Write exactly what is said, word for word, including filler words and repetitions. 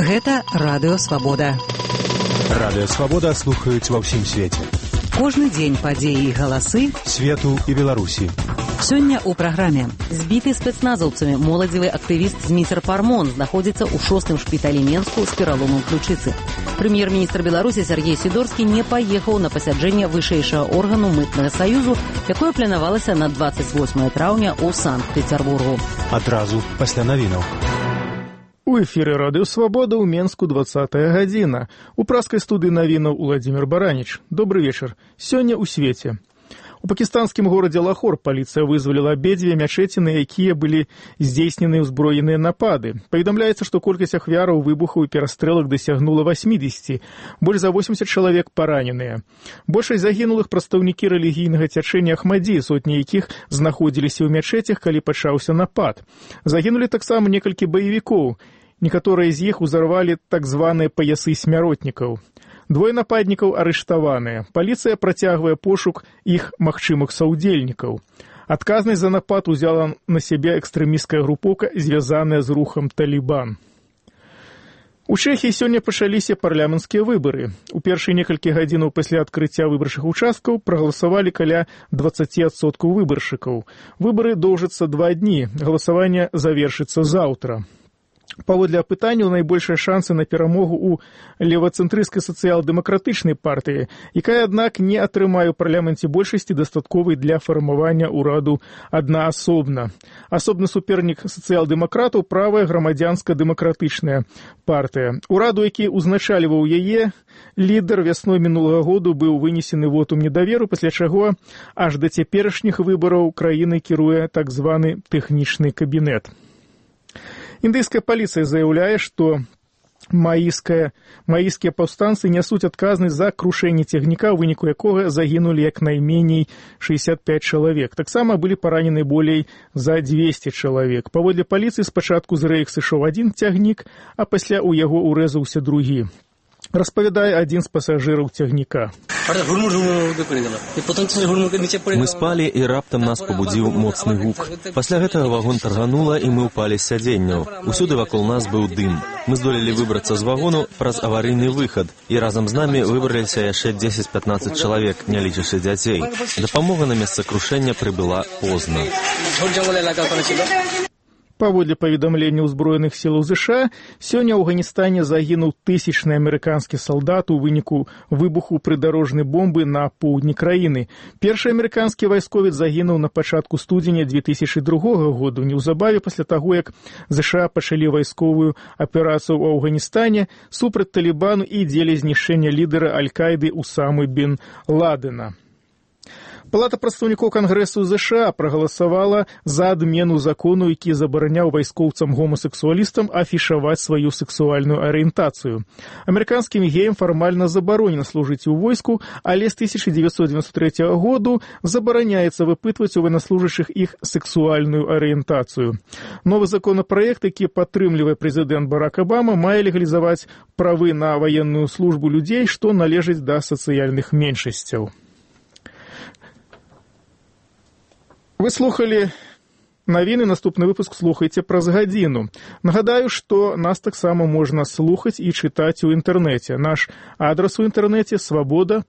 Гэта Радыё Свабода. Радыё Свабода слухаюць ва ўсім свеце. Кожны дзень падзеі і галасы свету і Беларусі. Сёння ў праграме. Збіты спецназаўцамі моладзевы актывіст Зміцер Пармон знаходзіцца ў шостым шпіталі Менску з пераломам ключыцы. Прэм'ер-міністр Беларусі Сергей Сідорскі не паехаў на пасяджэнне вышэйшага органу мытнага саюзу, якое планавалася на дваццаць восьмае траўня ў Санкт-Пецярбургу. Адразу пасля навінаў. У эфіры Радыё Свабода ў Менску двадцатая гадзіна. У праскай студыі навінаў Уладзімір Бараніч. Добры вечар. Сёння ў свеце. У пакістанскім горадзе Лахор паліцыя вызваліла абедзве мячэці, на якія былі здзейснены ўзброеныя напады. Паведамляецца, што колькасць ахвяраў выбухаў і перастрэлак дасягнула васьмідзесяці. Больш за восемьдесят чалавек параненыя. Большасць загінулых прадстаўнікі рэлігійнага цячэння Ахмадзі, сотні якіх знаходзіліся ў мячэцях, калі пачаўся напад. Загінулі таксама некалькі баевікоў. Некаторыя з іх узарвалі так званыя паясы смяротнікаў. Двое нападнікаў арыштаваныя. Паліцыя працягвае пошук іх магчымых саўдзельнікаў. Адказнасць за напад узяла на сябе экстрэмісцкая групоўка, звязаная з рухам Талібан. У Чэхіі сёння пачаліся парламенцкія выбары. У першыя некалькі гадзінаў пасля адкрыцця выбарчых участкаў прагаласавалі каля дваццаць адсоткаў выбаршчыкаў. Выбары доўжацца два дні. Галасаванне завершыцца заўтра. Паводле апытанняў найбольшыя шансы на перамогу ў левацэнтрысцкай сацыял-дэмакратычнай партыі, якая, аднак, не атрымае ў парламенце большасці дастатковай для фармавання ўраду аднаасобна. Асобны супернік сацыял-дэмакратаў – правая грамадзянска-дэмакратычная партыя. Ураду, які ўзначальваў яе, лідар вясной мінулага году быў вынесены вотум недаверу, пасля чаго аж да цяперашніх выбараў краіны кіруе так званы тэхнічны кабінет. Індыйская паліцыя заяўляе, што маіская, маіскія паўстанцы нясуць адказнасць за крушэнне цягніка, у выніку якога загінулі як найменей шэсцьдзесят пяць чалавек. Таксама былі паранены болей за дзвесце чалавек. Паводле паліцыі спачатку з рэек сышоў адзін цягнік, а пасля ў яго урэзаўся другі. Распавядае адзін з пасажыраў цягніка. Мы спалі, і раптам нас пабудзіў моцны гук. Пасля гэтага вагон тарганула, і мы ўпалі з сядзенняў. Усюды вакол нас быў дым. Мы здолелі выбрацца з вагону праз аварыйны выхад, і разам з намі выбраліся яшчэ дзесяць-пятнаццаць чалавек, не лічачы дзяцей. Дапамога на месца крушэння прыбыла позна. Паводле паведамлення ўзброеных сілаў ЗША, сёння ў Афганістане загінуў тысячны амерыканскі салдат у выніку выбуху прыдарожнай бомбы на поўдні краіны. Першы амерыканскі вайсковец загінуў на пачатку студзеня две тысячы другога году, неўзабаве пасля таго, як ЗША пачалі вайсковую аперацыю ў Афганістане супраць Талібану і дзеля знішчэння лідара Аль-Каіды Усамы бен Ладена. Палата прадстаўнікоў Кангрэсу ЗША прагаласавала за адмену закону, які забараняў вайскоўцам-гомасексуалістам афішаваць сваю сексуальную арыентацыю. Амерыканскім геям фармальна забаронена служыць у войску, але з тысяча дзевяцьсот дзевяносто трэцяга году забараняецца выпытваць у военнослужащых іх сексуальную арыентацыю. Новы законапраект, які падтрымлівае прэзідэнт Барак Абама, мае легалізаваць правы на ваенную службу людзей, што належаць да сацыяльных меншасцяў. Вы слухали навіны, наступны выпуск слухайце праз гадзіну. Нагадаю, што нас таксама можна слухаць і чытаць у інтэрнэце. Наш адрас у інтэрнэце свабода